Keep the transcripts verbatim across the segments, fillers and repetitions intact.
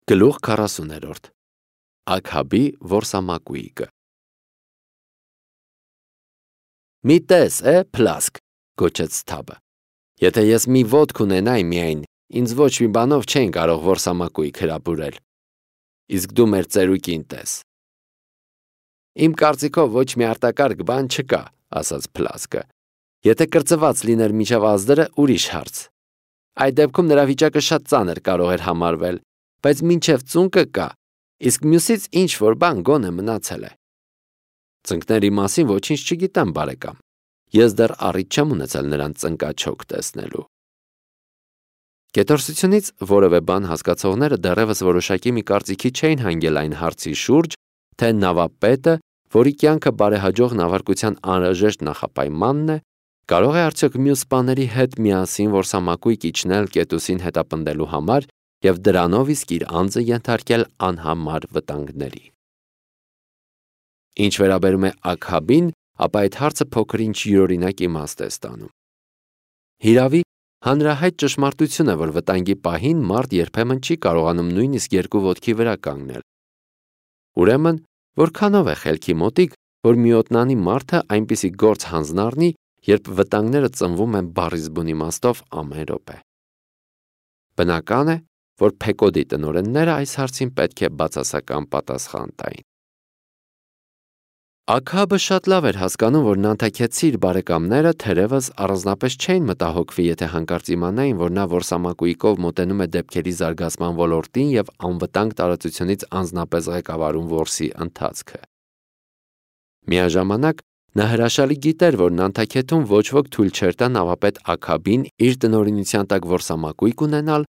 Գլուխ քառասուներորդ Աքաբի որսամակույիկը Մի տես է փլասկ, գոչեց Սթաբը, եթե ես մի ոտք ունենայի միայն, ինձ ոչ մի բանով չեն կարող որսամակույիկ հրապուրել, իսկ դու մեր ծերուկին տես։ Իմ կարծիքով ոչ մի արտակարգ բան չկա, ասաց փլասկը, եթե կրծված լիներ մինչև ազդրը, ուրիշ հարց։ Այդ դեպքում նրա վիճակը շատ ծանր կարող էր համարվել, բայց մինչև ծունկը կա, իսկ մյուսից ինչ-որ բան գոնե մնացել է։ Ծնկների մասին ոչինչ չգիտեմ, բարեկամ, ես դեռ առիթ չեմ ունեցել նրան ծնկաչոք տեսնելու։ Կետորսությունից որևէ բան հասկացողները դեռևս որոշակի մի կարծիքի չէին հանգել այն հարցի շուրջ, թե նավապետը, որի կյանքը բարեհաջող նավարկության անհրաժեշտ նախապայմանն է, կարող է արդյոք մյուս սպաների հետ միասին որսամակույկ իջնել Կետուսին հետապնդելու համար և դրանով իսկ իր անձը ենթարկել անհամար վտանգների։ Ինչ վերաբերում է Աքաբին, ապա այդ հարցը փոքր-ինչ յուրօրինակ իմաստ է ստանում։ Հիրավի, հանրահայտ ճշմարտություն է, որ վտանգի պահին մարդ երբեմն չի կարողանում նույնիսկ երկու ոտքի վրա կանգնել։ Ուրեմն, որքանով է խելքի մոտիկ, որ միոտնանի մարդը այնպիսի գործ հանձնառնի, երբ վտանգները ծնվում են բառիզբուն իմաստով ամեն րոպե։ Բնական է, որ Փեկոդի տնօրենները այս հարցին պետք է բացասական պատասխան տային։ Աքաբը շատ լավ էր հասկանում, որ նանթաքեցի իր բարեկամները թերևս առանձնապես չէին մտահոգվի, եթե հանկարծ իմանային, որ նա որսամակույիկով մոտենում է դեպքերի զարգացման ոլորտին և անվտանգ տարածությունից անձնապես ղեկավարում որսի ընթացքը։ Միաժամանակ նա հրաշալի գիտեր, որ նանթաքեթում ոչ ոք թույլ չէր տա նավապետ Աքաբին իր տնօրինության տակ որսամակույիկ ունենալ,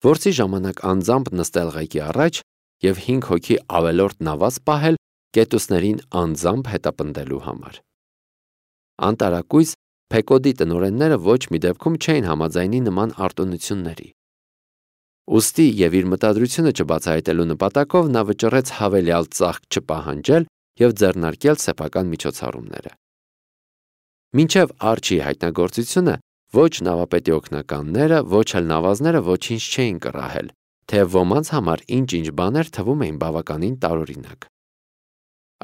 որսի ժամանակ անձամբ նստել ղեկի առաջ և հինգ հոգի ավելորդ նավազ պահել կետուսներին անձամբ հետապնդելու համար։ Անտարակույս Փեկոդի տնօրենները ոչ մի դեպքում չէին համաձայնի նման արտոնությունների։ Ուստի և իր մտադրությունը չբացահայտելու նպատակով նա վճռեց հավելյալ ծախք չպահանջել և ձեռնարկել սեփական միջոցառումները։ Մինչև Արջի հայտնագործությունը ոչ նավապետի օգնականները, ոչ էլ նավազները ոչինչ չէին կռահել, թեև ոմանց համար ինչ-ինչ բաներ թվում էին բավականին տարօրինակ։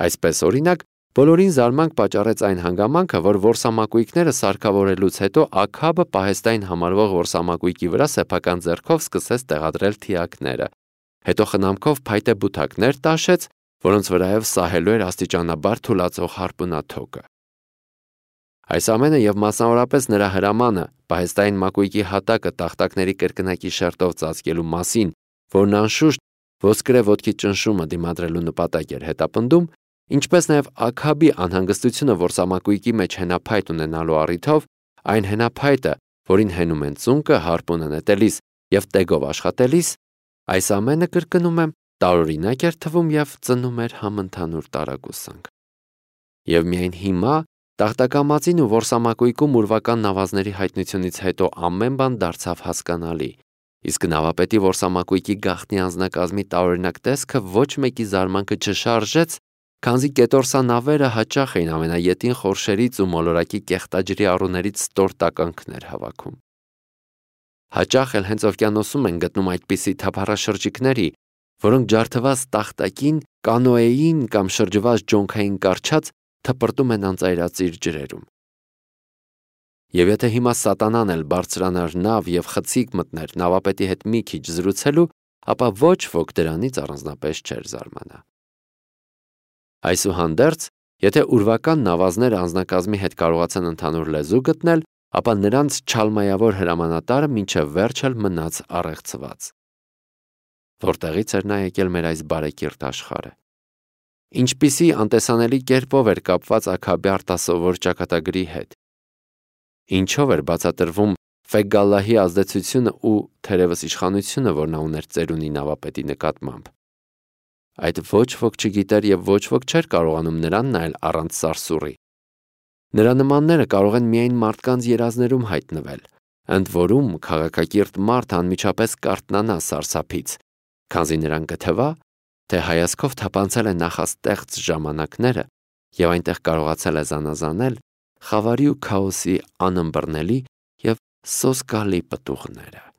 Այսպես, օրինակ, բոլորին զարմանք պատճառեց այն հանգամանքը, որ որսամակույիկները սարքավորելուց հետո Աքաբը պահեստային համարվող որսամակույիկի վրա սեփական ձեռքով սկսեց տեղադրել թիակները, հետո խնամքով փայտե բութակներ տաշեց, որոնց վրայով սահելու էր աստիճանաբար թուլացող հարպունաթոկը։ Այս ամենը և մասնավորապես նրա հրամանը պահեստային մակույիկի հատակը տախտակների կրկնակի շերտով ծածկելու մասին, որն անշուշտ ոսկրե ոտքի ճնշումը դիմադրելու նպատակ էր հետապնդում, ինչպես նաև Աքաբի անհանգստությունը որսամակույիկի մեջ հենափայտ ունենալու առիթով, այն հենափայտը, որին հենում են ծունկը հարպունը նետելիս և տեգով աշխատելիս, այս ամենը, կրկնում եմ, տարօրինակ էր թվում և ծնում էր համընդհանուր տարակուսանք։ Եվ միայն հիմա տախտակամածին ու որսամակույիկում ուրվական նավազների հայտնությունից հետո ամեն բան դարձավ հասկանալի, իսկ նավապետի որսամակույիկի գաղտնի անձնակազմի տարօրինակ տեսքը ոչ մեկի զարմանքը չշարժեց, քանզի կետորսանավերը հաճախ էին ամենաետին խորշերից ու մոլորակի կեղտաջրի առուներից ստոր տականքներ հավաքում։ Հաճախ էլ հենց օվկիանոսում են գտնում այդպիսի թափառաշրջիկների, որոնք ջարդված տախտակին, կանոեին կամ շրջված ջոնքային կառչած թպրտում են անծայրածիր ջրերում։ Եվ եթե հիմա սատանան էլ բարձրանար նավ և խցիկ մտներ նավապետի հետ մի քիչ զրուցելու, ապա ոչ ոք դրանից առանձնապես չէր զարմանա։ Այսուհանդերձ, եթե ուրվական նավազները անձնակազմի հետ կարողացան ընդհանուր լեզու գտնել, ապա նրանց չալմայավոր հրամանատարը մինչև վերջ էլ մնաց առեղծված։ Որտեղից էր նա եկել մեր այս բարեկիրթ աշխարհը։ Ինչպիսի անտեսանելի կերպով էր կապված Աքաբի արտասովոր ճակատագրի հետ։ Ինչով էր բացատրվում Ֆեգալլահի ազդեցությունը ու թերևս իշխանությունը, որ նա ուներ ծերունի նավապետի նկատմամբ։ Այդ ոչ ոք չգիտեր և ոչ ոք չէր կարողանում նրան նայել առանց սարսուռի։ Նրա նմանները կարող են միայն մարդկանց երազներում հայտնվել, ընդ որում քաղաքակիրթ մարդը անմիջապես կարթնանա սարսափից, քանզի նրան կթվա, թե հայացքով թափանցել է նախաստեղծ ժամանակները և այնտեղ կարողացել է զանազանել խավարի ու քաոսի անըմբռնելի և սոսկալի պտուղները։